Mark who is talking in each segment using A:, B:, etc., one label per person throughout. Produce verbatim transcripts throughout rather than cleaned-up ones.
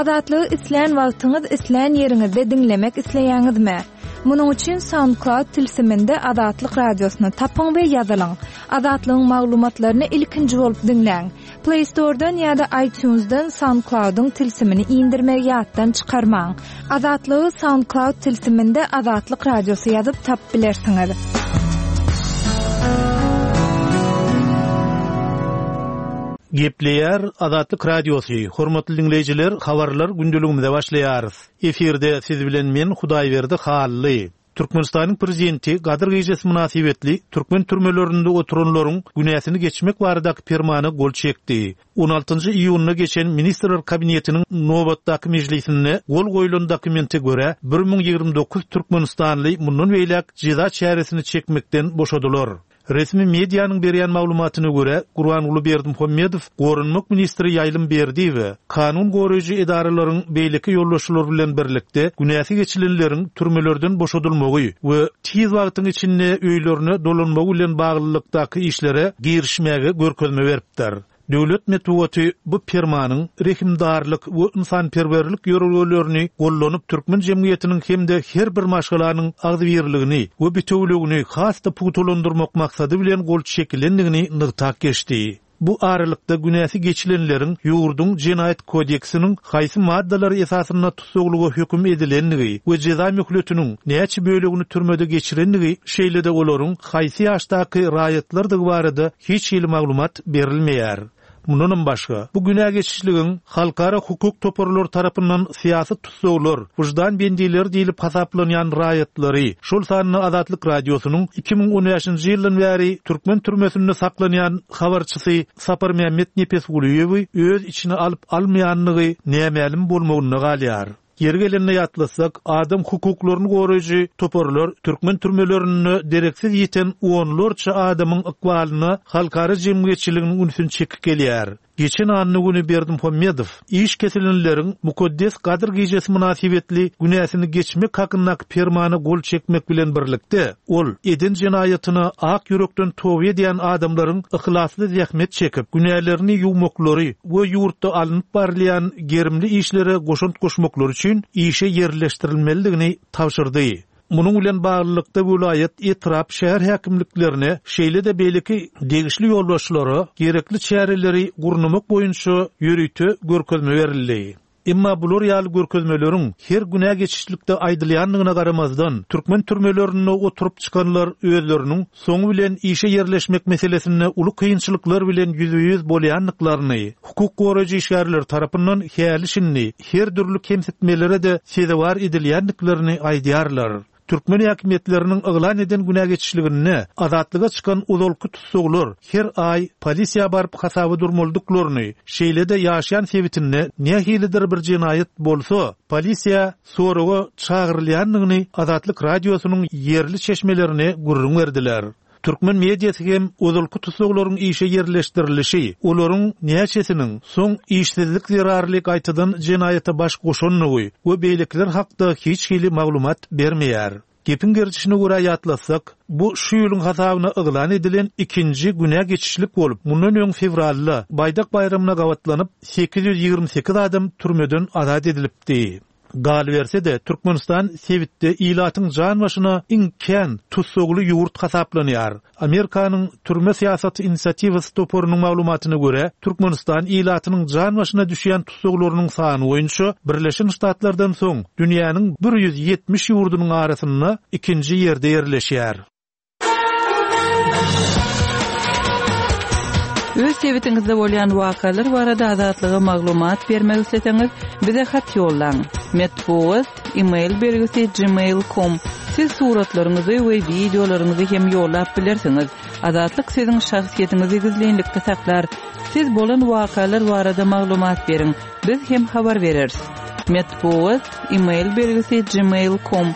A: Azatlygy islän wagtyňyz, islän ýeriňizde diňlemek isleýäňizmi? Munuň üçin SoundCloud tilsiminde Azatlyk radiosyny tapyň we ýazylyň. Azatlygyň maglumatlaryny ilkinji bolup diňläň. Play Store'dan ýa-da iTunes'dan SoundCloud'yň tilsimini indirmegi ýatdan çykarmaň. Azatlygy SoundCloud tilsiminde Azatlyk radiosy ýazyp tapyp bilersiňiz.
B: Gepleýär Azatlyk Radiosy. Hormatly dinleýjiler, habarlar gündeligimize başlaýarys. Efirde siz bilen men Hudaýberdi Hally. Türkmenistanyň prezidenti Gadyr gijesi mynasybetli türkmen türmelerinde oturanlaryň günäsini geçmek baradaky permana gol çekdi. on altynjy iýunda geçen Ministrler Kabinetiniň nobatdaky mejlisinde gol goýlan dokumente görä bir müň ýigrimi dokuz türkmenistanly mundan beýläk jeza çäresini çekmekden boşadylar. Resmi medianyň berýän maglumatyna görä Gurbanguly Berdimuhamedow Goranmak ministri Ýaýlym Berdiýewe kanun goraýjy edaralaryň beýleki ýolbaşçylary bilen birlikde günäsi geçilenleriň türmelerden boşadylmagy we tiz wagtyň içinde öýlerine dolanmagy bilen baglylykdaky işlere girişmäge görkezme beripdir. Döwlet metbugaty bu permanyň rehimdarlyk we insanperwerlik ýörelgelerini gollanyp türkmen jemgyýetiniň hem-de her bir maşgalanyň agzybirligini we bitewüligini has-da pugtalandyrmak maksady bilen gol çekilendigini nygtap geçdi. Bu aralykda günäsi geçilenleriň ýurduň jenaýat kodeksiniň haýsy maddalary esasynda tussaglyga höküm edilendigi we jeza möhletiniň näçe bölegini türmede geçirendigi, şeýle-de olaryň haýsy ýaşdaky raýatlardygy barada hiç hili maglumat berilmeýär. Mundanam başga, bu günä geçişligiň halkara hukuk toparlary tarapyndan syýasy tussaglar, wyždan bendileri diýlip hasaplanýan raýatlary, şol sanda Azatlyk radiosynyň iki müň on bäşinji ýyldan bäri türkmen türmesinde saklanýan habarçysy Saparmämmet Nepesgulyýewi öz içine alyp almaýanlygy nämälim bolmagynda galýar. Ýeri gelende ýatlasak, adam hukuklaryny goraýjy toparlar türkmen türmelerinde dereksiz ýeten onlarça adamyň ykbalyna halkara jemgyýetçiliginiň ünsüni çekip gelýär. Geçen anny güni Berdimuhamedow iş kesilenleriň mukaddes Gadyr gijesi mynasybetli günäsini geçmek hakyndaky permana gol çekmek bilen birlikde, ol eden jenaýatyna ak ýürekden toba edýän adamlaryň yhlasly zähmet çekip, günälerini ýuwmaklary we ýurtda alnyp barylýan gerimli işlere goşant goşmaklary üçin işe ýerleşdirilmelidigini tabşyrdy. Munuň bilen baglylykda welaýat, etrap, şäher häkimliklerine, şeýle-de beýleki degişli ýolbaşçylara gerekli çäreleri gurnamak boýunça ýörite görkezme berildi. Emma bular ýaly görkezmeleriň her günä geçişlikde aýdylýandygyna garamazdan, türkmen türmelerinde oturyp çykanlar özleriniň soňy bilen işe ýerleşmek meselesinde uly kynçylyklar bilen ýüzbe-ýüz bolýandyklaryny, hukuk goraýjy işgärler tarapyndan häli şindi her dürli kemsitmelere de sezewar edilýändiklerini aýdýarlar. Türkmen häkimiýetleriniň yglan eden günä geçişliginde azatlyga çykan uzalky tussaglar her aý polisiýa baryp hasaba durmalydyklaryny, şeýle-de ýaşaýan sebitinde nähilidir bir jenaýat bolsa, polisiýa soraga çagyrylýandygyny Azatlyk radiosynyň ýerli çeşmelerine gürrüň berdiler. Türkmen mediasy hem uzalky tussaglaryň işe ýerleşdirilişi, olaryň näçesiniň soň işsizlik zerarly gaýtadan jenaýata baş goşandygy we beýlekiler hakda hiç hili maglumat bermeýär. Gepiň gerçişine görä ýatlasak, bu şu ýylyň hasabyna yglan edilen ikinji günä geçişlik bolup, mundan öň fewralda Baýdak baýramyna gabatlanyp sekiz ýüz ýigrimi sekiz adam türmeden azat edilipdi. Galyberse de Türkmenistan sebitde ilatyň jan başyna iň kän tussagly ýurt hasaplanýar. Amerikanyň türme syýasaty inisiatiwasy toparynyň maglumatyna görä, Türkmenistan ilatynyň jan başyna düşýän tussaglarynyň sany boýunça Birleşen Ştatlardan soň dünýäniň bir ýüz ýetmiş ýurdunyň arasynda ikinji ýerde ýerleşýär.
C: Öz sebitiňizde bolýan wakalar barada azatlyga maglumat bermek isleseňiz, bize hat ýollaň. Metbugat, e-mail belgisi gmail nokta com. Siz suratlaryňyzy we wideolaryňyzy hem ýollap bilersiňiz. Azatlyk siziň şahsyýetiňizi gizlinlikde saklar. Siz bolan wakalar barada maglumat beriň. Biz hem habar bereris. Metbugat, e-mail belgisi gmail nokta com.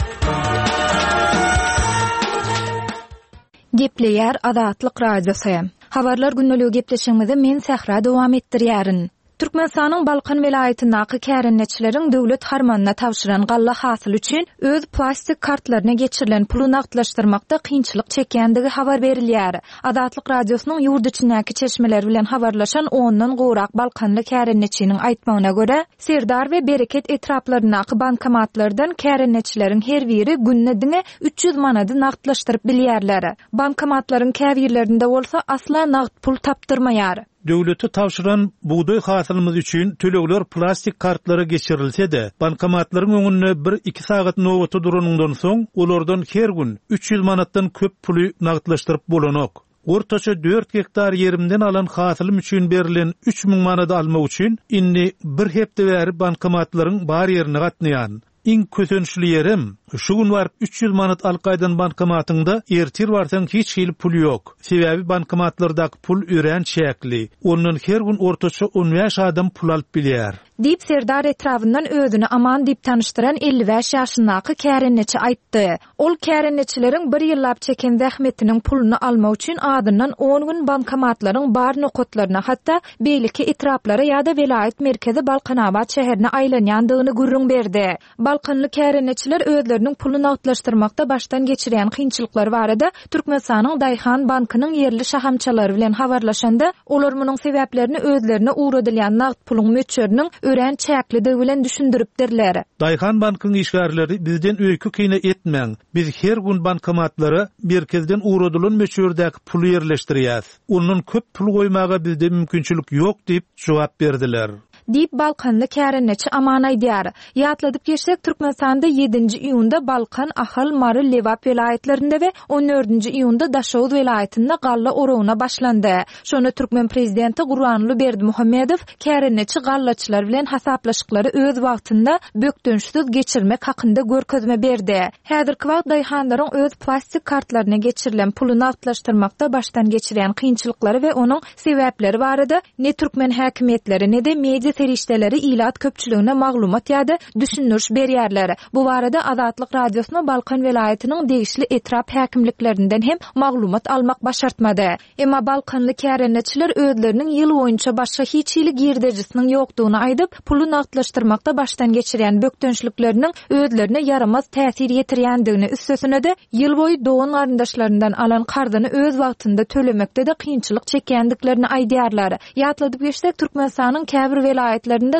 A: Gepleýär Azatlyk Radiosy. Habarlar gündeligi gepleşigimizi men Sähra dowam etdirýärin. Türkmenistanyň Balkan welaýatyndaky kärendeçileriň döwlet harmanyna tabşyran galla hasyly üçin öz plastik kartlaryna geçirilen puly nagtlaşdyrmakda kynçylyk çekýändigi habar berilýär. Azatlyk Radiosynyň ýurt içindäki çeşmeleri bilen habarlaşan ondan gowrak balkanly kärendeçiniň aýtmagyna görä, Serdar we Bereket etraplaryndaky bankomatlardan kärendeçileriň her biri günde diňe üç ýüz manady nagtlaşdyryp bilýärler. Bankomatlaryň käbirlerinde bolsa asla nagt pul tapdyrmaýar.
B: Döwlete tabşyran bugdaý hasylymyz üçin tölegler plastik kartlara geçirilse-de, bankomatlaryň öňünde bir-iki sagat nobata duranyndan soň, olardan her gün üç ýüz manatdan köp puly nagtlaşdyryp bolanok. Ortaça dört gektar ýerimden alan hasylym üçin berilen üç müň manady almak üçin indi bir hepde bäri bankomatlaryň bar ýerine gatnaýan. Iň kösençli ýerim, şu gün baryp üç ýüz manat alyp gaýdan bankomatyňda ertir barsaň hiç hili pul ýok. Sebäbi bankomatlardaky pul örän çäkli. Ondan her gün ortaça on bäş adam pul alyp bilýär.
A: Diýip Serdar etrabyndan özüni Aman diýip tanyşdyran elli bäş ýaşyndaky kärendeçi aýtdy. Ol kärendeçileriň bir ýyllap çeken zähmetiniň puluny almak üçin adyndan on gün bankomatlaryň bar nokatlaryna, hatda beýleki etraplara ýa-da welaýat merkezi Balkanabat şäherine aýlanýandygyny gürrüň berdi. Balkanly kärendeçiler özleriniň puly nagtlaşdyrmakda başdan geçirýän kynçylyklary barada Türkmenistanyň Daýhan bankynyň ýerli şahamçalary bilen habarlaşanda, olar munuň sebäplerini özlerine ugradylýan nagt puluň möçberiniň örän çäklidigi bilen düşündiripdirler.
B: Daýhan bankyň işgärleri bizden öýkü kine etmäň. Biz her gün bankomatlara merkezden ugradylan möçberdäki puly ýerleşdirýäs. Ondan köp pul goýmaga bizde mümkinçilik ýok diýip jogap berdiler.
A: Diýip Balkanly kärendeçi Aman aýdýar. Ýatladyp geçsek, Türkmenistanda ýedinji iýunda Balkan, Ahal, Mary, Lebap welaýatlarynda we on dördünji iýunda Daşoguz welaýatynda galla oragyna başlandy. Şonda Türkmen prezidenti Gurbanguly Berdimuhamedow kärendeçi gallaçylar bilen hasaplaşyklary öz wagtynda bökdençsiz geçirmek hakynda görkezme berdi. Häzirki wagt daýhanlaryň öz plastik kartlaryna geçirilen puly nagtlaşdyrmakda başdan geçirýän kynçylyklary we onuň sebäpleri barada ne türkmen häkimiýetleri ne de media serişdeleri ilat köpçüligine maglumat ýa-da düşündiriş berýärler. Bu barada Azatlyk Radiosyna Balkan welaýatynyň degişli etrap häkimliklerinden hem maglumat almak başartmady. Emma Balkanly kärendeçiler özleriniň ýyl boýunça başga hiç hili girdejisiniň ýokdugyny aýdyp, puly nagtlaşdyrmakda başdan geçirýän bökdençlikleriniň özlerine ýaramaz täsir ýetirýändigini, üstesine-de ýyl boýy dogan garyndaşlaryndan alan karzyny öz wagtynda tölemekde de kynçylyk çekýändiklerini aýdýarlar. Ýatladyp geçsek, Türkmenistanyň käbir welaýatlarynda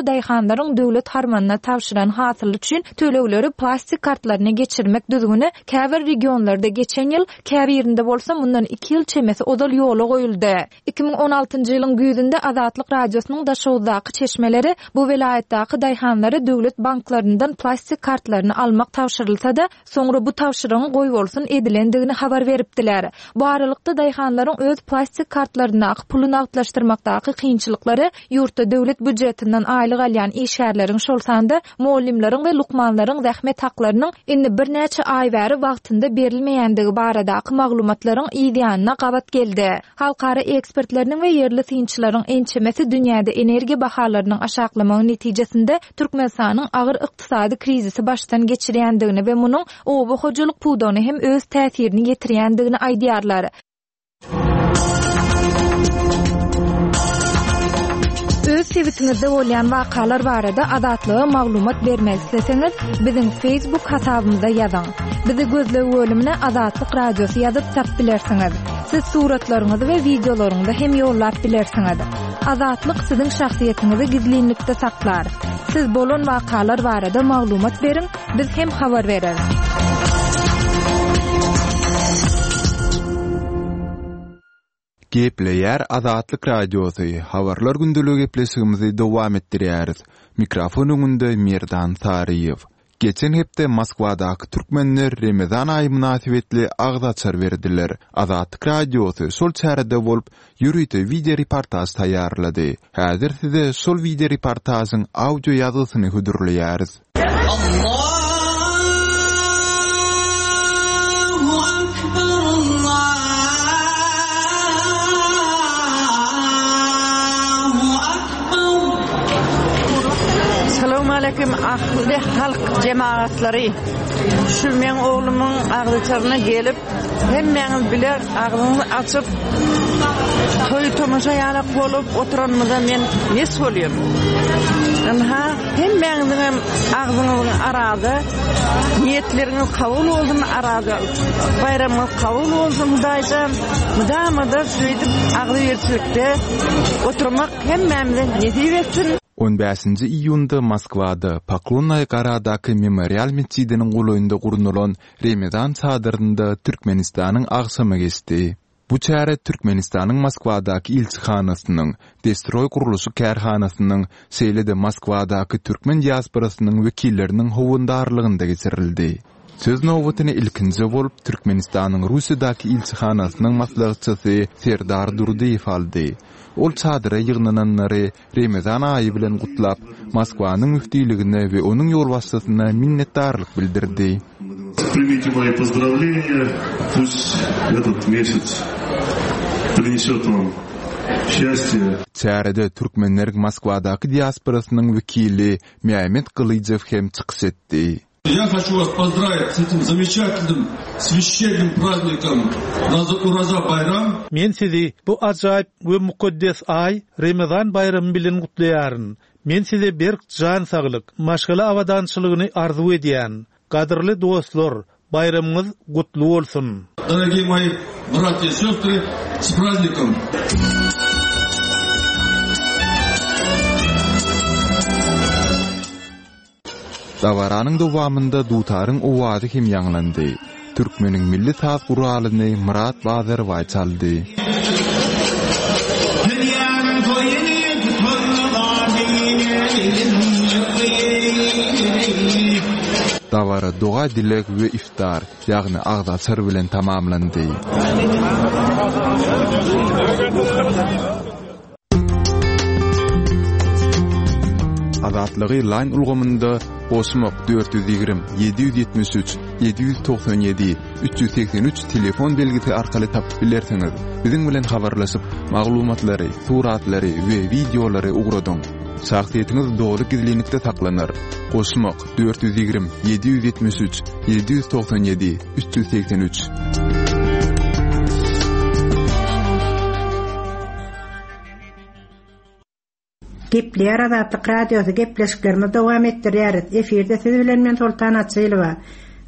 A: daýhanlaryň döwlet harmanyna tabşyran hasyl üçin tölegleri plastik kartlaryna geçirmek düzgüni käbir regionlarda geçen ýyl, käbirinde bolsa mundan iki ýyl çemesi ozal ýola goýuldy. iki müň on altynjy ýylyň güýzünde Azatlyk Radiosynyň Daşoguzdaky çeşmeleri bu welaýatdaky daýhanlara döwlet banklaryndan plastik kartlaryny almak tabşyrylsa-da, soňra bu tabşyrygyň goýbolsun edilendigini habar beripdiler. Bu aralykda daýhanlaryň öz plastik kartlaryndaky puly nagtlaşdyrmakdaky kynçylyklary ýurtda döwlet býujetinden aýlyk alýan işgärleriň, şol sanda muallimleriň we lukmanlaryň zähmet haklarynyň indi birnäçe aý bäri wagtynda berilmeýändigi baradaky maglumatlaryň ýanyna gabat geldi. Halkara ekspertleriniň we ýerli synçylaryň ençemesi dünýäde energiýa bahalarynyň aşaklamagy netijesinde Türkmenistanyň agyr ykdysady krizisi başdan geçirýändigini we munuň oba hojalyk pudagyna hem öz täsirini ýetirýändigini aýdýarlar. Öz sebitiňizde bolýan wakalar barada Azatlyga maglumat bermek isleseňiz, biziň Facebook hasabymyza ýazyň. Bizi gözleg bölümine Azatlyk Radiosy ýazyp tap bilersiňiz. Siz suratlaryňyzy we wideolaryňyzy hem ýollap bilersiňiz. Azatlyk siziň şahsyýetiňizi gizlinlikde saklar. Siz bolan wakalar barada maglumat beriň, biz hem habar bereris.
D: Gepleýär Azatlyk Radiosy, habarlar gündeligi gepleşigimizi dowam etdirýäris. Mikrofon öňünde Merdan Saryýew. Geçen hepde Moskwadaky türkmenler Remezan aýy mynasybetli agz açar berdiler. Azatlyk Radiosy şol çärede bolup, ýörite video reportaj taýýarlady. Häzir size şol video reportajyň audio ýazgysyny hödürleýäris.
E: Allahu akbar, Allahu akbar.
F: Salam aleyküm ahli halk cemaatları. Şu men oğlumun ağzıçarına gelip hemmeňiz biler agzyňyzy açyp Toý tomaşa ýalak bolup oturanymyza men mes bolýan. Ynha, hemmäňiziň agzyňyzyň arada niýetleriňiz kabul bolsun arada. Baýramyňyz kabul bolsun Hudaýjan. Mydama-da şeýdip agzybirçilikde oturmak hemmämize nesip etsin.
D: On bäşinji iýunda Moskwada Poklonnaýa Goradaky memorial metjidiniň golaýynda gurnalan Remezan çadyrynda Türkmenistanyň agşamy geçdi. Bu çäre Türkmenistanyň Moskwadaky ilçihanasynyň, Destroý gurluşyk kärhanasynyň, şeýle-de Moskwadaky türkmen diasporasynyň wekilleriniň howandarlygynda geçirildi. Söz nobatyny ilkinji bolup Türkmenistanyň Russiýadaky ilçihanasynyň maslahatçysy Serdar Durdyýew aldy. Ol çadyra ýygnananlary Remezan aýy bilen gutlap, Moskwanyň müftiligine we onuň ýolbaşçysyna minnetdarlyk bildirdi.
G: Примите мои поздравления. Пусть этот месяц принесет вам счастье.
D: Çärede türkmenleriň Moskwadaky diasporasynyň wekili Mehmet Gylyjow hem çykyş etdi.
H: Я хочу вас поздравить с этим замечательным священным праздником Ураза Байрам.
B: Men sizi bu ajaýyp we mukaddes aý Remezan baýramy bilen gutlaýaryn. Men size berk jan saglyk, maşgala abadançylygyny arzuw edýän. Gadyrly dostlar, baýramyňyz gutly bolsun.
H: Дорогие мои братья и сестры, с праздником!
D: Dabaranyň dowamynda dutaryň owazy hem ýaňlandy. Türkmeniň milli saz guralyny Myrat Bazarbaý çaldy.
E: Dünýäniň toýuny
D: Dabara doga dileg we iftar, ýagny agzaçar bilen tamamlandy. Azatlygy line ulgamynda goşmak dört ýüz ýigrimi, ýedi ýüz ýetmiş üç, ýedi ýüz togsan ýedi, üç ýüz segsen üç telefon belgisi arkaly tapyp bilersiňiz. Biziň bilen habarlaşyp, maglumatlary, suratlary we wideolary ugradyň. Şahsyýetiňiz dogry gizlinlikde saklanar. Goşmak dört ýüz ýigrimi, ýedi ýüz ýetmiş üç, ýedi ýüz togsan ýedi, üç ýüz segsen üç.
I: Gepleýär Azatlyk Radiosy gepleşiklerimizi dowam etdirýäris. Efirde siz bilen men Sultan Açylowa.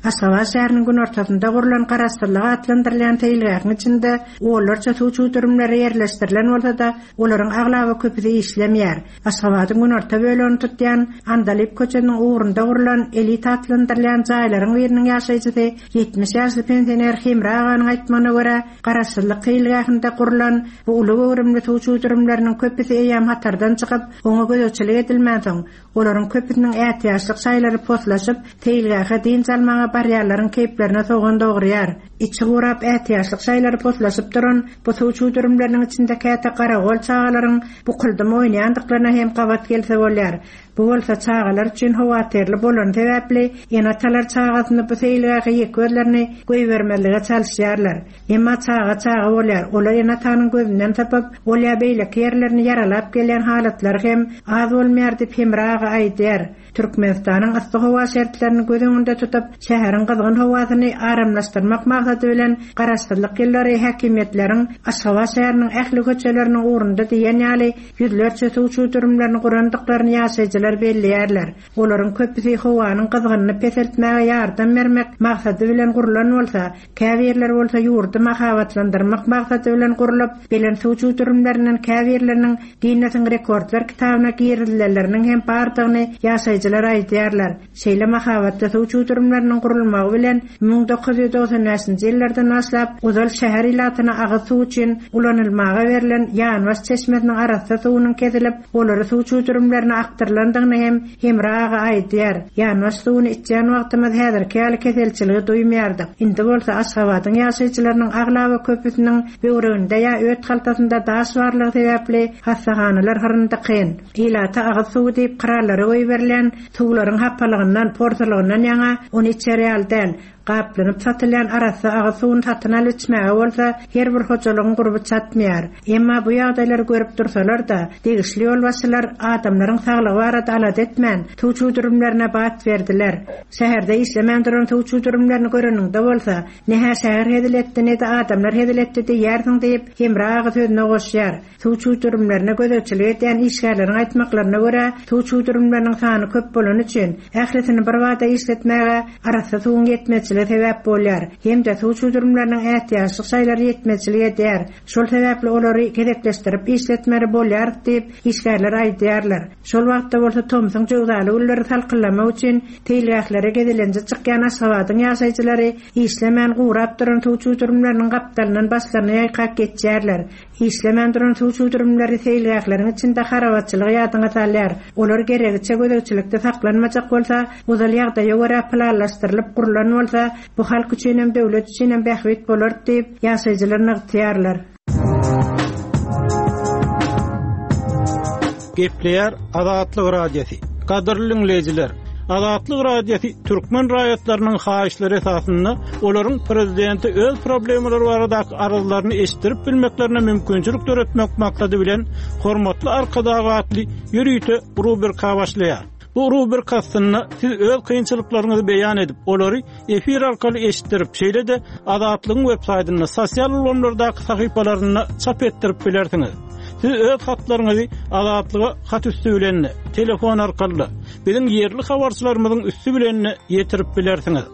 I: Aşgabat şäheriniň günortasynda gurlan Garaşsyzlyk atlandyrylýan seýilgähiň içinde onlarça suw çüwdürimleri ýerleşdirilen bolsa-da, olaryň aglaba köpüsi işlemeýär. Aşgabadyň günorta bölegini tutýan Andalyp köçesiniň ugrunda gurlan elit atlandyrylýan jaýlaryň biriniň ýaşaýjysy ýetmiş ýaşly pensioner Hemra aganyň aýtmagyna görä, Garaşsyzlyk seýilgähinde gurlan bu uly göwrümli suw çüwdürimleriniň köpüsi eýýäm hatardan çykyp, oňa gözegçilik edilmänsoň, olaryň köpüsiniň ätiýaçlyk şaýlary poslaşyp, seýilgähe dynç almaga barýarlaryň keýplerine sogan dogurýar. Içi gurap ätiýaçlyk şaýlary poslaşyp duran bu suw çüwdürimleriniň içinde käte garagol çagalaryň bukuldym oýnaýandyklaryna hem gabat gelse bolýar. Bu bolsa çagalar üçin howaterli bolan sebäpli ene-atalar çagasyny bu seýilgähe ýek özlerini goýbermezlige çalyşýarlar. Emma çaga çaga bolýar. Olar ene-atanyň gözünden tapyp, ol ýa beýleki ýerlerini ýaralap gelýän halatlar hem az bolmaýar diýip Hemra aga aýdýar. Türkmenistanyň yssy howa şertlerini göz öňünde tutup, şäheriň gyzgyn howasyny aramlaşdyrmak maksady bilen Garaşsyzlyk ýyllary häkimiýetleriň Aşgabat şäheriniň ähli köçeleriniň ugrunda diýen ýaly ýüzlerçe suw çüwdürimlerini gurandyklaryny ýaşaýjylar belleýärler. Olaryň köpüsi howanyň gyzgynyny peseltmäge ýardam bermek maksady bilen gurlan bolsa, käbirleri bolsa ýurdy mahabatlandyrmak maksady bilen gurlup, belen suw çüwdürimlerinden käbirleriniň Guinnessiň rekordlar kitabyna girizilmeleriniň hem bardygyny ýaşaýjylar aýdýarlar. Şeýle mahabatda suw çüwdürimleriniň gurulmagy bilen müň dokuz ýüz togsan bäşinji ýyllardan başlap ozal şäher ilatyna agyz suw üçin ulanylmaga berlen ýanbaş çeşmesiniň arassa suwunyň kesilip, olary suw çüwdürimlerine akdyrylandygyny hem Hemra aga aýdýar. Ýanbaş suwuny içýän wagtymyz häzirki ýaly keselçiligi duýmaýardyk. Indi bolsa Aşgabadyň ýaşaýjylarynyň aglaba köpüsiniň böwreginde ýa öt haltasynda daş barlygy sebäpli hassahanalar hyryndy kyn. Ilata agyz suwy diýip krallara goýberilen suwlaryň hapalygyndan, porsalygyndan ýaňa ony içer çydar ýaly däl. Gaplanyp satylýan arassa agyz suwuny satyn alyp içmäge bolsa her bir hojalygyň gurby çatmaýar. Emma bu ýagdaýlary görüp dursalar-da, degişli ýolbaşçylar adamlaryň saglygy barada alada etmän, suw çüwdürimlerine bat berdiler. Şäherde işlemän duran suw çüwdürimlerini göreniňde bolsa, ne-hä şäher hezil etdi, ne-de adamlar hezil etdi diýersiň diýip, Hemra aga sözüne goşýar. Suw çüwdürimlerine gözegçilik edýän işgärleriň aýtmaklaryna görä, suw çüwdürimleriniň sany köp bolany üçin, ählisini bir bada işletmäge arassa suwuň ýetmezçiligi sebäp bolýar. Hem-de suw çüwdürimleriniň ätiýaçlyk şaýlary ýetmezçilik edýär. Şol sebäpli olary gezekleşdirip işletmeli bolýar diýip, işgärler aýdýarlar. Şol wagtda bolsa tomsuň jöwzaly günleri salkynlamak üçin seýilgählere gezelenje çykýan Aşgabadyň ýaşaýjylary işlemän gurap duran suw çüwdürimleriniň gapdalyndan başlaryny ýaýkap geçýärler. Işlemän duran suw çüwdürimleri seýilgähleriň içinde harabaçylygy ýadyňa salýar. Olar geregiçe gözegçilikde saklanmajak bolsa, ozal ýagdaýa görä planlaşdyrylyp gurulan bolsa, bu halk üçin hem döwlet üçin hem bähbit bolar diýip, ýaşaýjylar nygtaýarlar.
J: Gepleýär Azatlyk Radiosy. Gadyrly dinleýjiler, Azatlyk Radiosy türkmen raýatlarynyň haýyşlary esasynda olaryň prezidenti öz problemalary baradaky arzlaryny eşitdirip bilmeklerine mümkinçilik döretmek maksady bilen hormatly Arkadag atly ýörite rubrika başlaýar. Bu rubrika aslynda siz öz kynçylyklaryňyzy beýan edip, olary efir arkaly eşitdirip, şeýle-de Azatlygyň web saýtynda, sosial ulgamlardaky sahypalarynda çap etdirip bilersiňiz. Siz öz hatlaryňyzy Azatlyga hat üstü bilen, telefon arkaly, biziň ýerli habarçylarymyzyň üstü bilen ýetirip bilersiňiz.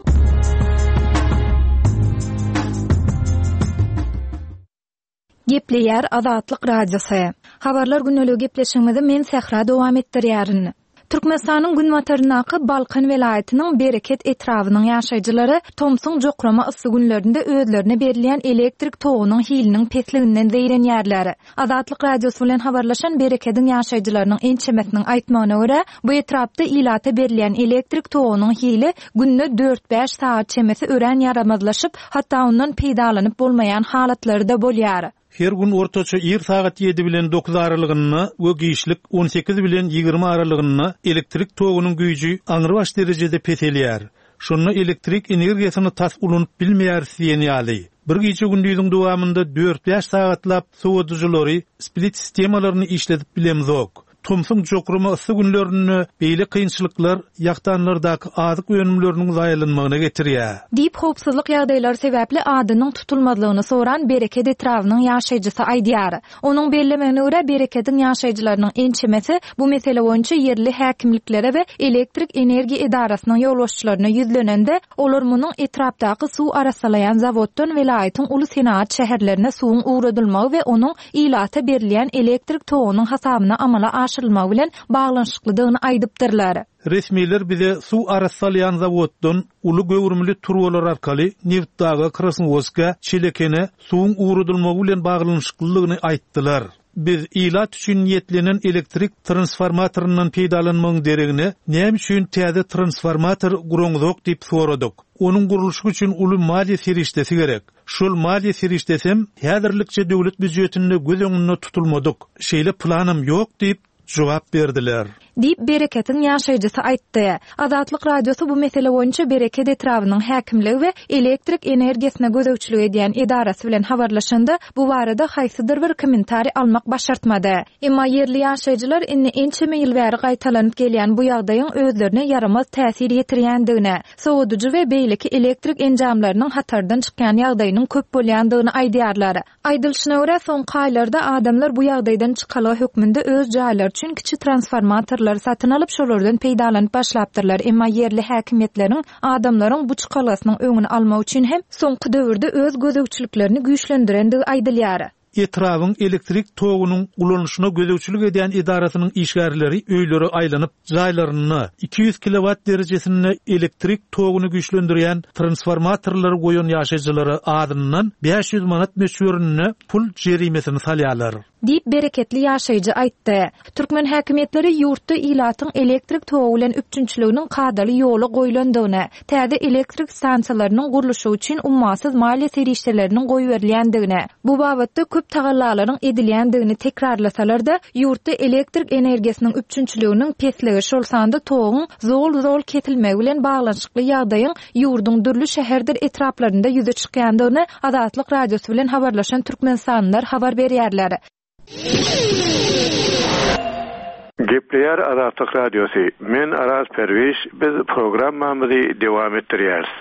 A: Gepleýär Azatlyk Radiosy. Habarlar günlügi gepleşigimizi men Sähra dowam etdirýärin. Türkmenistanyň günbataryndaky Balkan welaýatynyň Bereket etrabynyň ýaşaýjylary tomsuň jokrama yssy günlerinde özlerine berilýän elektrik togunyň hiliniň pesliginden zeýrenýärler. Azatlyk Radiosy bilen habarlaşan Berekediň ýaşaýjylarynyň ençemesiniň aýtmagyna görä, bu etrapda ilata berilýän elektrik togunyň hili günde dört-bäş sagat çemesi örän ýaramazlaşyp, hatda ondan peýdalanyp bolmaýan halatlary da bolýar.
B: Her gün ortaça ir sagat ýedi bilen dokuz aralygynda we giçlik on sekiz bilen ýigrimi aralygynda elektrik togunyň güýji aňrybaş derejede peselýär. Şonda elektrik energiýasyny tas ulanyp bilmeýäris diýen ýaly. Bir gije gündüziň dowamynda dört-bäş sagatlap sowadyjylary, split sistemalaryny işledip bilemzok. Tomsuň jokrama yssy günlerinde beýle kynçylyklar ýakdanlardaky azyk önümleriniň zaýalanmagyna getirýär.
A: Diýip howpsuzlyk ýagdaýlary sebäpli adynyň tutulmazlygyny soran Bereket etrabynyň ýaşaýjysy aýdýar. Onuň bellemegine görä Berekediň ýaşaýjylarynyň ençemesi bu mesele boýunça ýerli häkimliklere we elektrik energiýa edarasynyň ýolbaşçylaryna ýüzlenende, olar munuň etrapdaky suw arassalaýan zawoddan welaýatyň uly senagat şäherlerine suwuň ugradylmagy we onuň ilata berilýän elektrik togunyň hasabyna amala aşyrylmagy bilen baglanyşyklydygyny aýdypdyrlar.
B: Resmiler bize suw arassalaýan zawoddan uly göwrümli turbalar arkaly Neftdaga, Krasnowodska, Çelekene suwuň ugradylmagy bilen baglanyşyklydygyny aýtdylar. Biz ilat üçin niýetlenen elektrik transformatoryndan peýdalanmagyň deregine näme üçin täze transformator guraňyzok diýip soradyk. Onuň gurluşygy üçin uly maliýe serişdesi gerek. Şol maliýe serişdesi hem häzirlikçe döwlet býujetinde göz öňünde tutulmadyk. Şeýle planam ýok diýip jogap berdiler.
A: Diýip Bereketiň ýaşaýjysy aýtdy. Azatlyk Radiosy bu mesele boýunça Bereket etrabynyň häkimligi we elektrik energiýasyna gözegçilik edýän edarasy bilen habarlaşanda bu barada haýsydyr bir kommentariý almak başartmady. Emma ýerli ýaşaýjylar indi ençeme ýyl bäri gaýtalanyp gelýän bu ýagdaýyň özlerine ýaramaz täsir ýetirýändigini, sowadyjy we beýleki elektrik enjamlarynyň hatardan çykýan ýagdaýynyň köp bolýandygyny aýdýarlar. Aýdylyşyna görä, soňky aýlarda adamlar bu ýagdaýdan çykalga hökmünde öz jaýlary üçin kiçi transformatorlary satyn alyp, şolardan peýdalanyp başlapdyrlar. Emma ýerli häkimiýetleriň adamlaryň bu çykalgasynyň öňüni almak üçin hem soňky döwürde öz gözegçiliklerini güýçlendirendigi aýdylýar.
B: Etrabyň elektrik togunyň ulanyşyna gözegçilik edýän edarasynyň işgärleri öýlere aýlanyp, jaýlaryna iki ýüz kilowatt derejesinde elektrik toguny güýçlendirýän transformatorlary goýan ýaşaýjylara azyndan bäş ýüz manat möçberinde pul jerimesini salýarlar.
A: Diýip, bereketli ýaşaýjy aýtdy. Türkmen häkimiýetleri ýurtda ilatyň elektrik togy bilen üpjünçiliginiň kadaly ýola goýlandygyny, täze elektrik stansiýalarynyň gurluşygy üçin ummasyz maliýe serişdeleriniň goýberilýändigini, bu babatda köp tagallalaryň edilýändigini tekrarlasalar-da, ýurtda elektrik energiýasynyň üpjünçiliginiň pesligi, şol sanda toguň zol-zol kesilmegi bilen baglanyşykly ýagdaýyň ýurduň dürli şäherdir etraplarynda ýüze çykýandygyny Azatlyk Radiosy bilen habarlaşan türkmenistanlylar habar berýärler.
K: Gepleýär Azatlyk Radiosy. Men Araz Perwiş, biz programmamyzy dowam etdirýäris.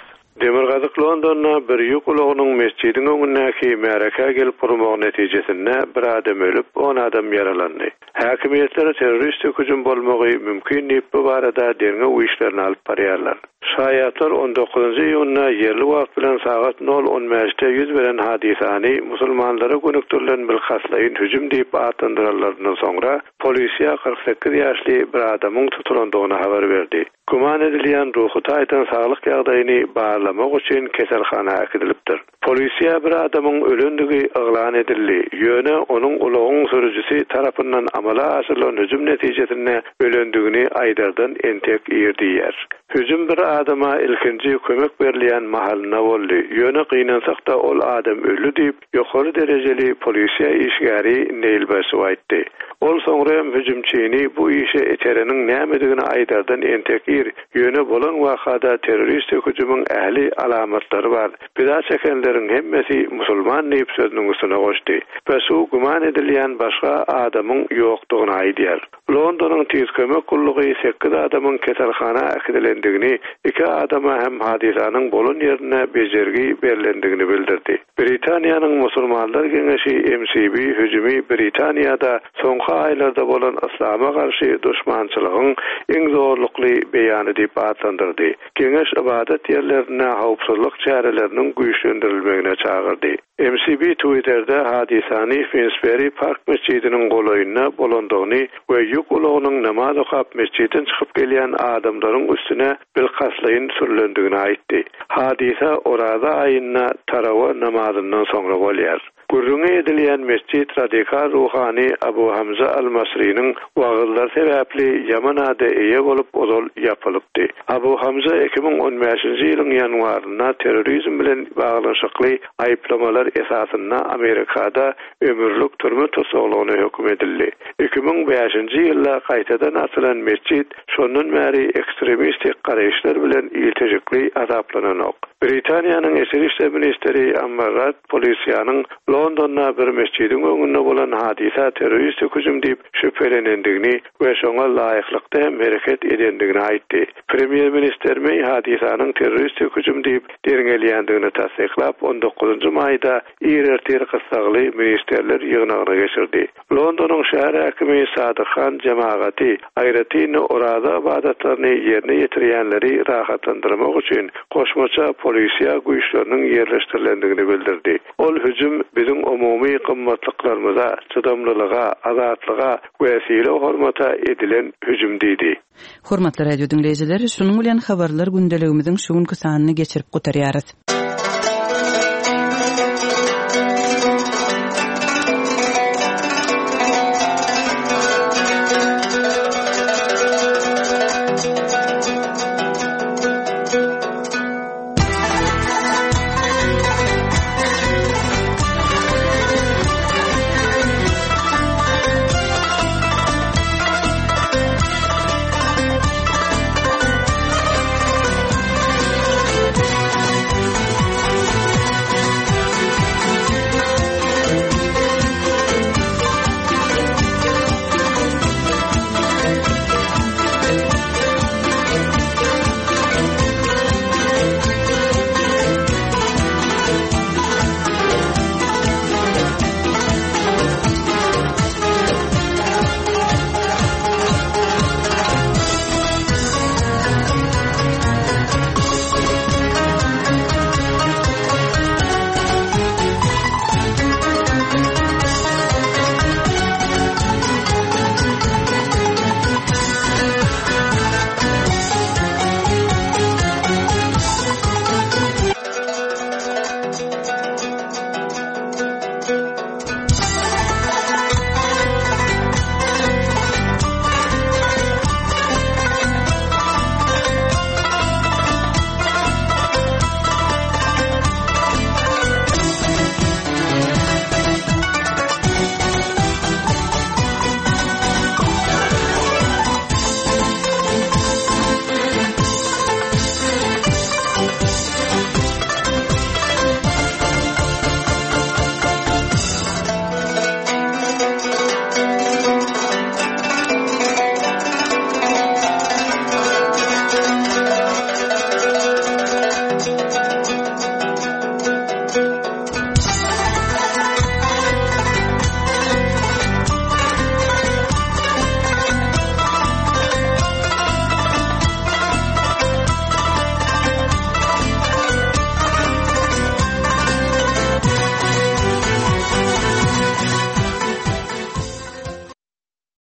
K: Demirgazyk Londonda bir ýük ulagynyň mesjidiň öňündäki märekä gelip urmagy netijesinde bir adam ölüp, on adam ýaralandy. Häkimiýetler terroristik hüjüm bolmagy mümkin diýip bu barada derňew işlerini alyp barýarlar. Şaýatlar on dokuzynjy iýunda ýerli wagt bilen sagat nol on bäşde ýüz beren hadysany musulmanlara gönükdirilen bilkastlaýyn hüjüm diýip atlandyranlaryndan soňra polisiýa kyrk sekiz ýaşly bir adamyň tutulandygyny habar berdi. Güman edilýän ruhy taýdan saglyk ýagdaýyny barlamak üçin keselhana äkidilipdir. Polisiýa bir adamyň ölendigi yglan edildi. Ýöne onuň ulagyň sürüjisi tarapyndan amala aşyrylan hüjüm netijesinde ölendigini aýdardan entek ir diýer. Hüjüm bir adama ilkinji kömek berilýän mahalynda boldy. Ýöne gynansak-da ol adam öldi diýip, ýokary derejeli polisiýa işgäri Neil Basu aýtdy. Ol soňra hem hüjümçini bu işe itereniň nämedigini aýdardan entek ir, ýöne bolan wakada terroristik hüjümiň ähli alamatlary bar. Pida çekenleriň hemmesi musulman diýip sözüniň üstüne goşdy. Basu güman edilýän başga adamyň ýokdugyny aýdýar. Londonyň tiz kömek gullugy sekiz adamyň keselhana äkidilendigini, iki adama hem hadysanyň bolan ýerine bejergi berilendigini bildirdi. Britaniýanyň Musulmanlar Geňeşi M C B hüjümi Britaniýada soňky aýlarda bolan yslama garşy duşmançylygyň iň zorlukly beýany diýip atlandyrdy. Geňeş ibadet ýerlerinde howpsuzlyk çäreleriniň güýçlendirilmegine çagyrdy. M C B Twitter'de hadysany Finsbury Park mesjidiniň golaýynda bolandygyny we ýük ulagynyň namaz okap mesjidden çykyp gelýän adamlaryň üstüne bilkastlaýyn sürülendigini aýtdy. Hadysa Oraza aýynda tarawa namazyndan soňra bolýar. Gürrüňi edilýän mesjid radikal ruhany Abu Hamza al-Masriniň wagyzlar sebäpli ýaman ada eýe bolup ozal ýapylypdy. Abu Hamza iki müň on bäşinji ýylyň ýanwarynda terrorizm bilen baglanyşykly aýyplamalar esasynda Amerikada ömürlik türme tussaglygyna höküm edildi. Iki müň bäşinji ýylda gaýtadan açylan mesjid şondan bäri ekstremistik garaýyşlar bilen ilteşikli azaplananok. Britaniýanyň Içeri işler ministri Amber Rudd polisiýanyň Londonda bir mesjidiň öňünde bolan hadysa terroristik hüjüm diýip şübhelenendigini we şoňa laýyklykda hem hereket edendigini aýtdy. Premýer ministr May hadysanyň terroristik hüjüm diýip derňelýändigini tassyklap, on dokuzynjy maýda ir ertir gyssagly ministerler ýygnagyna geçirdi. Londonyň şäher häkimi Sadyk Han jemagaty aýratyn oraza ibadatlaryny ýerine ýetirýänleri rahatlandyrmak üçin goşmaça polisiýa güýçleriniň ýerleşdirilendigini bildirdi. Ol hüjüm biziň umumy gymmatlyklarymyza, çydamlylyga, azatlyga we sylag-hormata edilen hüjüm diýdi.
C: Hormatly radio diňleýjiler, şunuň bilen habarlar gündeligimiziň şu günki sanyny geçirip gutarýarys.